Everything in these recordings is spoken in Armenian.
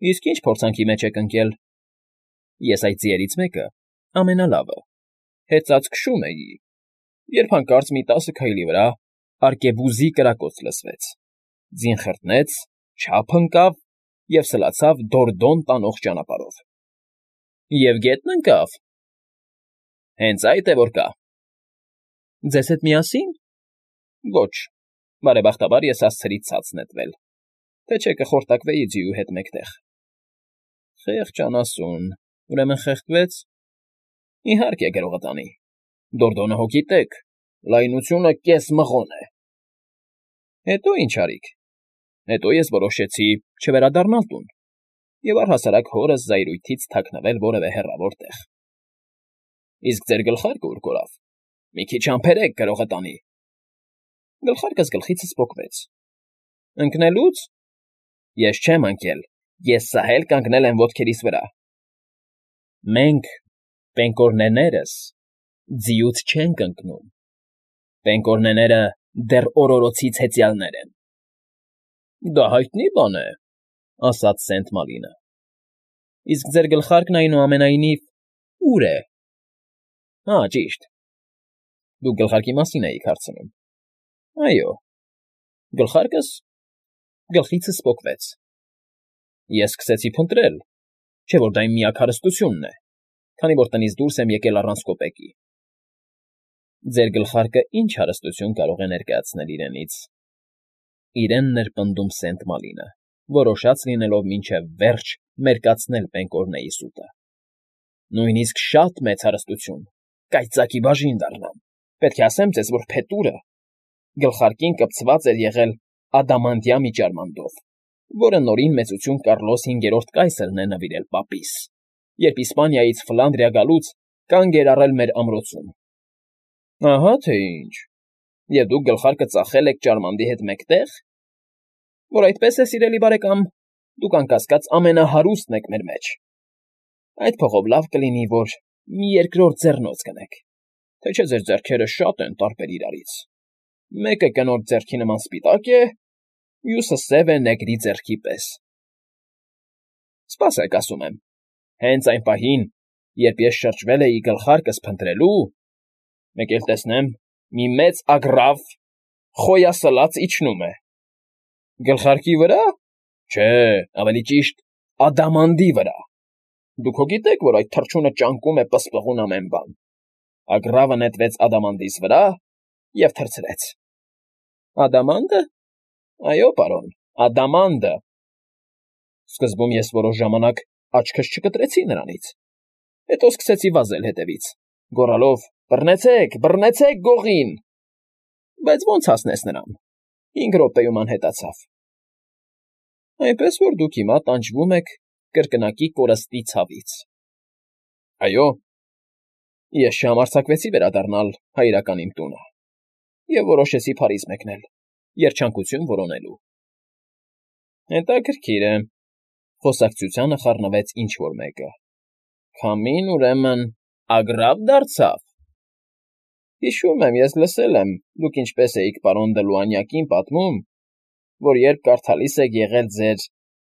Իսկ ինչ փորձանքի մեջ եք ընկել։ Ես այդ ձիերից մեկը, ամենալավը, հեծած քշում էի, երբ հանկարծ մի 10 քայլի վրա արկեբուզի կրակոց լսվեց, ձին խրտնեց, չափ ընկավ և սլացավ Դորդոն տանող ճանապարհով։ Եվ գետն ընկավ։ Հենց այդ է որ կա։ Ձեզ հետ միասի՞ն։ Ոչ, բարեբախտաբար ես հասցրի ցած նետվել, թե չէ կխորտակվեի ձիու հետ մեկտեղ։ Խեղճ անասուն, ուրեմն խեղդվեց։ Իհարկե գրողտանի։ Դորդոնը հոգի տեք, լայնությունը կես մղոն է։ Հետո ինչ արիք։ Հետո ես որոշեցի չվերադառնալ տուն և առհասարակ հորս զայրույթից թաքնվել որևէ հեռավոր տեղ։ Իսկ ձեր գլխարկը ուր կորավ։ Մի քիչ համբերեք, գրողտանի։ Գլխարկս գլխիցս պոկվեց։ Ընկնելուց։ Ես չեմ ընկել, ես սահել կանգնել եմ ոտքերիս վրա։ Մենք, պենկորներներս, ձիուց չենք ընկնում։ Պենկորներները դեռ օրորոցից հեծյալներ են։ Դա հայտնի բան է, ասաց Սենտ Մալինը։ Իսկ ձեր գլխարկն այնուամենայնիվ ո՞ւր է։ Հա, ճիշտ։ Դուք գլխարկի մասին էիք հարցնում։ Այո։ Գլխարկս գլխիցս պոկվեց։ Ես սկսեցի փնտրել, չէ՞ որ դա իմ միակ հարստությունն է, քանի որ տնից դուրս եմ եկել առանց կոպեկի։ Ձեր գլխարկը ինչ հարստություն կարող է ներկայացնել իրենից։ Իրենն էր պնդում Սենտ Մալինը, որոշած լինելով մինչև վերջ մերկացնել Պենկորնեի սուտը։ Նույնիսկ շատ մեծ հարստություն, կայծակի բաժին դառնամ։ Պետք է ասեմ ձեզ, որ փետուրը գլխարկին կպցված էր եղել ադամանդյա միջարմանդով, որը նորին մեծություն Կառլոս V կայսրն է նվիրել պապիս, երբ Իսպանիայից Ֆլանդրիա գալուց կանգ էր առել մեր ամրոցում։ Ահա թե ինչ։ Եվ դուք գլխարկը ծախել եք ճարմանդի հետ մեկտեղ։ Որ այդպես է, սիրելի բարեկամ, դուք անկասկած ամենահարուստն եք մեր մեջ։ Այդ փողով լավ կլինի, որ մի երկրորդ ձեռնոց գնեք, թե չէ ձեր ձեռքերը շատ են տարբեր իրարից։ Մեկը կնոջ ձեռքի նման սպիտակ է, մյուսը սև է նեգրի ձեռքի պես։ Սպասեք, ասում եմ, հենց այն պահին, երբ ես շրջվել էի գլխարկս փնտրելու, մեկ էլ տեսնեմ, մի մեծ ագռավ խոյասլաց իջնում է։ Գլխարկի վրա։ Չէ, ավելի ճիշտ, ադամանդի վրա։ Դուք հո գիտեք, որ այդ թռչունը ճանկում է պսպղուն ամեն բան։ Ագռավը նետվեց ադամանդիս վրա և թռցրեց։ Ադամանդը։ Այո, պարոն, ադամանդը։ Սկզբում ես որոշ ժամանակ աչքս չկտրեցի նրանից, հետո սկսեցի վազել հետևից, գոռալով. «Բռնեցեք, բռնեցեք գողին»։ Բայց ո՞նց հասնես նրան։ 5 րոպեում անհետացավ։ Այնպես որ դուք հիմա տանջվում եք կրկնակի կորստի ցավից։ Այո, ես չհամարձակվեցի վերադառնալ հայրական իմ տունը և որոշեցի Փարիզ մեկնել, երջանկություն որոնելու։ Հետաքրքիր է, խոսակցությանը խառնվեց ինչ֊որ մեկը։ Քամին, ուրեմն, ագռավ դարձավ։ Հիշում եմ, ես լսել եմ, դուք ինչպես էիք պարոն Դելուանյակին պատմում, որ երբ կարդալիս եք եղել ձեր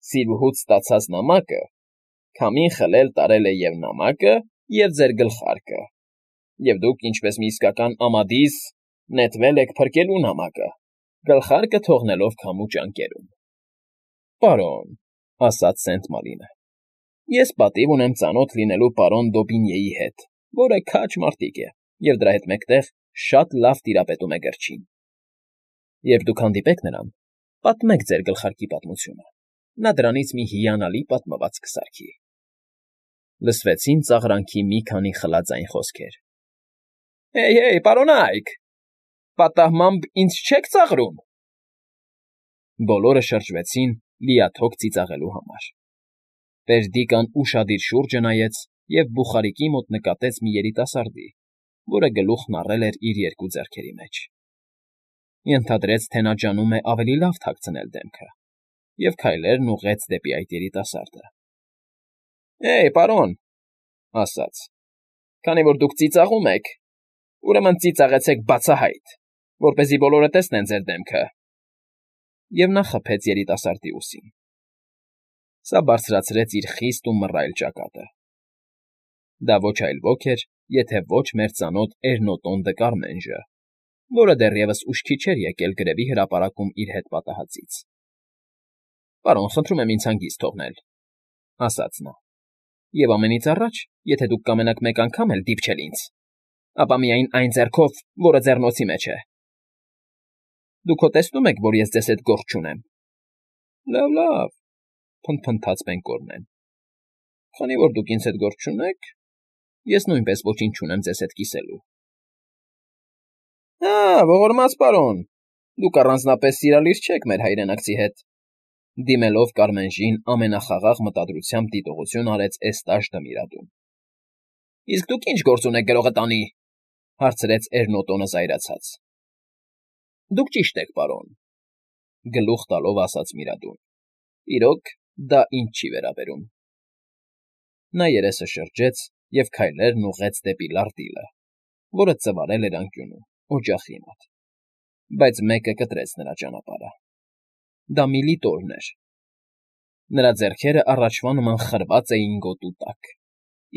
սիրուհուց ստացած նամակը, քամին խլել տարել է և նամակը, և ձեր գլխարկը, և դուք, ինչպես մի իսկական ամադիս, նետվել եք փրկելու նամակը, գլխարկը թողնելով քամու ճանկերում։ Պարոն, ասաց Սենտ Մալինը, ես պատիվ ունեմ ծանոթ լինելու պարոն Դոբինյեի հետ, որը քաջ մարտիկ է և դրա հետ մեկտեղ շատ լավ տիրապետում է գրչին։ Երբ դուք հանդիպեք նրան, պատմեք ձեր գլխարկի պատմությունը, նա դրանից մի հիանալի պատմվածք կսարքի։ Լսվեցին ծաղրանքի մի քանի խլաձայն խոսքեր։ Հեյ, պարոնայք, պատահմամբ ինձ չեք ծաղրում։ Բոլորը շրջվեցին լիաթոք ծիծաղելու համար։ Բերդիկան ուշադիր շուրջը նայեց և բուխարիկի մոտ նկատեց մի երիտասարդի, որը գլուխն առել էր իր երկու ձեռքերի մեջ։ Ենթադրեց, թե նա ջանում է ավելի լավ թաքցնել դեմքը, և քայլերն ուղղեց դեպի այդ երիտասարդը։ Պարոն, ասաց, քանի որ դուք ծիծաղում եք, ուրեմն ծիծաղեցեք բացահայտ, որպեսզի բոլորը տեսնեն ձեր դեմքը։ Եվ նա խփեց երիտասարդի ուսին։ Սա բարձրացրեց իր խիստ ու մռայլ ճակատը։ Դա ոչ այլ ոք էր, եթե ոչ մեր ծանոթ Էրնոտոն դը Կարմենժը, որը դեռևս ուշքի չէր եկել գրեվի հրապարակում իր հետ պատահածից։ «Պարոն, խնդրում եմ ինձ հանգիստ թողնել», ասաց նա։ «Եվ ամենից առաջ, եթե դուք կամենաք մեկ անգամ էլ դիպչել ինձ, ապա միայն այն ձեռքով, որը ձեռնոցի մեջ է»։ «Դուք հո տեսնում եք, որ ես ձեզ հետ գործ չունեմ»։ «Լավ, փնթփնթաց Բենկորնեն։ Քանի որ դուք ինձ հետ գործ չունեք, ես նույնպես ոչինչ չունեմ ձեզ հետ կիսելու»։ Ողորմած պարոն, դուք առանձնապես սիրալիր չեք մեր հայրենակցի հետ։ Դիմելով Կարմենժին ամենախաղաղ մտադրությամբ դիտողություն արեց Էստաշ Դմիրադուն։ «Իսկ դուք ինչ գործ ունեք գրողը տանի», հարցրեց Էրնոտոնը զայրացած։ «Դուք ճիշտ եք, պարոն», գլուխ տալով ասաց Միրադուն։ «Իրոք, դա ինձ չի վերաբերում»։ Նա երեսը շրջեց և քայլերն ուղղեց դեպի լարտիլը, որը ծվարել էր անկյունում, օջախի մոտ, բայց մեկը կտրեց նրա ճանապարհը։ Դա Միլիտորն էր։ Նրա ձեռքերը առաջվա նման խրված էին գոտու տակ,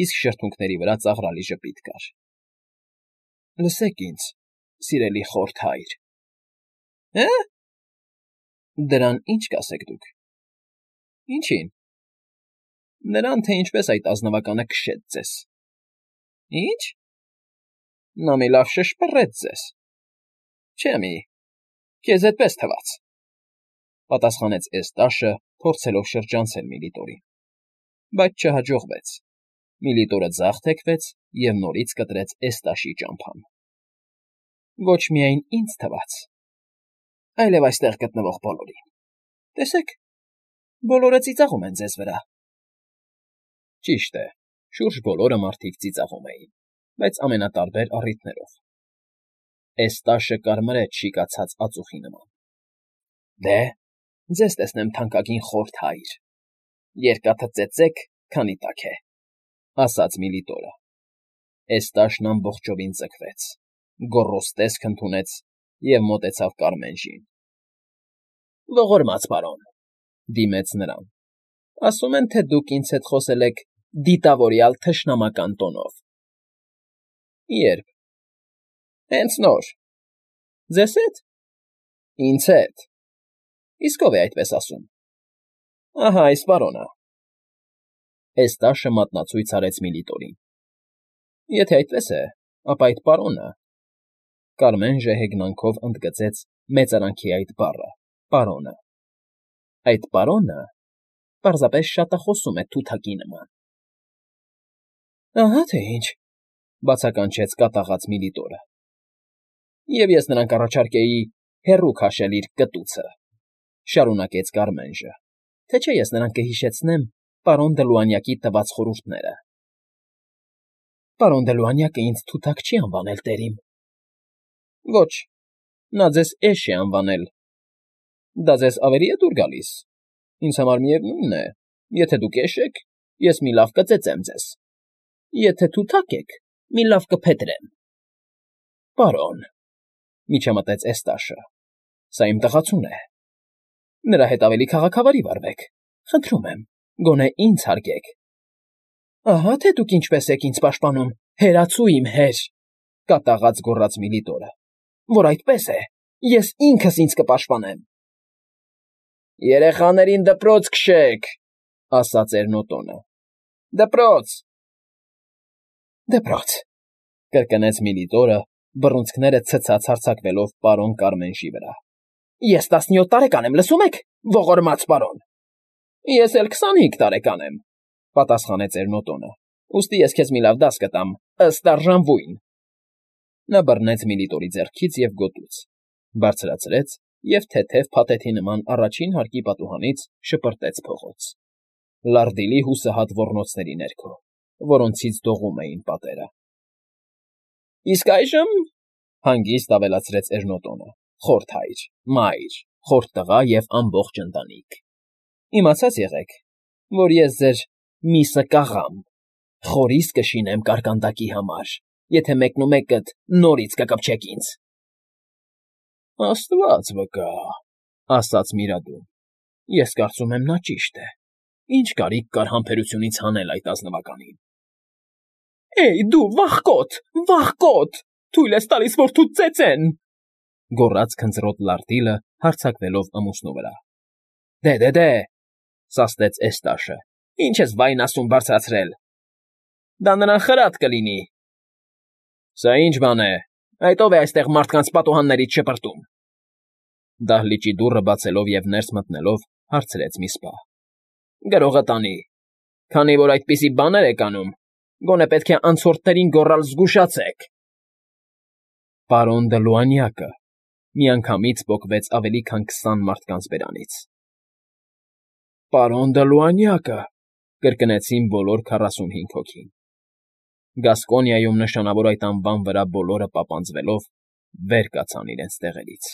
իսկ շրթունքների վրա ծաղրալի ժպիտ կար։ «Լսեք ինձ, սիրելի խորթ հայր»։ «Հը՞։ Դրան ի՞նչ կասեք դուք»։ «Ինչին»։ «Նրան, թե ինչպես այդ ազնվականը քշեց ձեզ»։ «Ի՞նչ»։ «Նա մի լավ շշպռեց ձեզ»։ «Չէ՞ մի, քեզ էդպես թվաց», պատասխանեց Էստաշը, փորձելով շրջանցել Միլիտորին։ Բայց չհաջողվեց։ Միլիտորը ձախ թեքվեց և նորից կտրեց Էստաշի ճամփան։ «Ոչ միայն ինձ թվաց, այլև այստեղ գտնվող բոլորին։ Տեսեք, բոլորը ծիծաղում են ձեզ վրա»։ Ճիշտ է, շուրջ բոլորը մարդիկ ծիծաղում էին, բայց ամենատարբեր առիթներով։ Էստաշը կարմրեց շիկացած ածուխի նման։ «Դե, ձեզ տեսնեմ, թանկագին խորթ հայր. երկաթը ծեծեք, քանի տաք է», ասաց Միլիտորը։ Էստաշն ամբողջովին ձգվեց, գոռոզ տեսք ընդունեց և մոտեցավ Կարմենժին։ «Ողորմած պարոն», դիմեց նրան, «ասում են, թե դուք ինձ հետ խոսել եք դիտավորյալ թշնամական տոնով»։ «Ե՞րբ»։ «Հենց նոր»։ «Ձեզ հետ»։ «Ինձ հետ»։ «Իսկ ով է այդպես ասում»։ «Ահա այս պարոնը»։ Էստաշը մատնացույց արեց Միլիտորին։ «Եթե այդպես է, ապա այդ պարոնը…» Կարմենժը հեգնանքով ընդգծեց մեծարանքի այդ բառը՝ պարոնը։ «Այդ պարոնը պարզապես շատախոսում է թութակի նման»։ «Ահա թե ինչ», բացականչեց կատաղած Միլիտորը։ «Եվ ես նրան կառաջարկեի հեռու քաշել իր կտուցը», շարունակեց Կարմենժը, «թե չէ ես նրան կհիշեցնեմ պարոն Դլուանյակի տված խորհուրդները»։ «Պարոն Դլուանյակը ինձ թութակ չի անվանել, տերիմ»։ «Ոչ, նա ձեզ էշ է անվանել։ Դա ձեզ ավելի է դուր գալիս։ Ինձ համար միևնույն է, եթե դուք էշ եք, ես մի լավ կծեծեմ ձեզ, եթե թութակ եք, մի լավ կփետրեմ»։ «Պարոն», միջամտեց Էստաշը, «սա իմ տղացուն է։ Նրա հետ ավելի քաղաքավարի վարվեք, խնդրում եմ, գոնե ինձ հարգեք»։ «Ահա թե դուք ինչպես եք ինձ պաշտպանում, հերացու իմ հեր», կատաղած գոռաց Միլիտորը, «որ այդպես է, ես ինքս ինձ կպաշտպանեմ»։ «Երեխաներին դպրոց քշեք», ասաց Էրնոտոնը։ «Դպրոց»։ «Դպրոց», կրկնեց Միլիտորը, բռունցքները ցցած հարձակվելով պարոն Կարմենժի վրա։ «Ես 17 տարեկան եմ, լսում եք, ողորմած պարոն»։ «Ես էլ 25 տարեկան եմ», պատասխանեց Էրնոտոնը, «ուստի ես քեզ մի լավ դաս կտամ, ըստ արժանվույն»։ Նա բռնեց Միլիտորի ձեռքից և գոտուց, բարձրացրեց և թեթև փաթեթի նման առաջին հարկի պատուհանից շպրտեց փողոց, լարդիլի հուսահատ ոռնոցների ներքո, որոնցից դողում էին պատերը։ «Իսկ այժմ,֊ հանգիստ ավելացրեց Էրնոտոնը,֊ խորթ հայր, մայր, խորթ տղա և ամբողջ ընտանիք, իմացած եղեք, որ ես ձեր միսը կաղամ, խորիստ կշինեմ կարկանդակի համար, եթե մեկնումեկդ նորից կկպչեք ինձ»։ «Աստված վկա», ասաց Միրադուն, «ես կարծում եմ նա ճիշտ է, Ինչ կարիք կար համբերությունից հանել այդ ազնվականին։ Էյ, դու վախկոտ, թույլ ես տալիս, որ թուդ ծեծեն,֊ գոռաց քնձռոտ լարտիլը, հարձակվելով ամուսնու վրա։ Դե,֊ սաստեց Էստաշը,֊ ինչ ես վայն ասում բարձրացրել… Դա նրան խրատ կլինի… Սա ի՞նչ բան է, այդ ո՞վ է այստեղ մարդկանց պատուհաններից շպրտում… Դահլիճի դուռը բացելով և ներս մտնելով հարցրեց մի սպա։ Գրողը տանի, քանի որ այդպիսի բաներ եք անում, գոնե պետք է անցորդներին գոռալ «Զգուշացե՛ք»։ Պարոն Դլուանյակը,֊ միանգամից պոկվեց ավելի քան 20 մարդկանց բերանից։ Պարոն Դլուանյակը,֊ կրկնեցին բոլոր 45 հոգին։ Գասկոնիայում նշանավոր այդ անվան վրա բոլորը պապանձվելով վեր կացան իրենց տեղերից։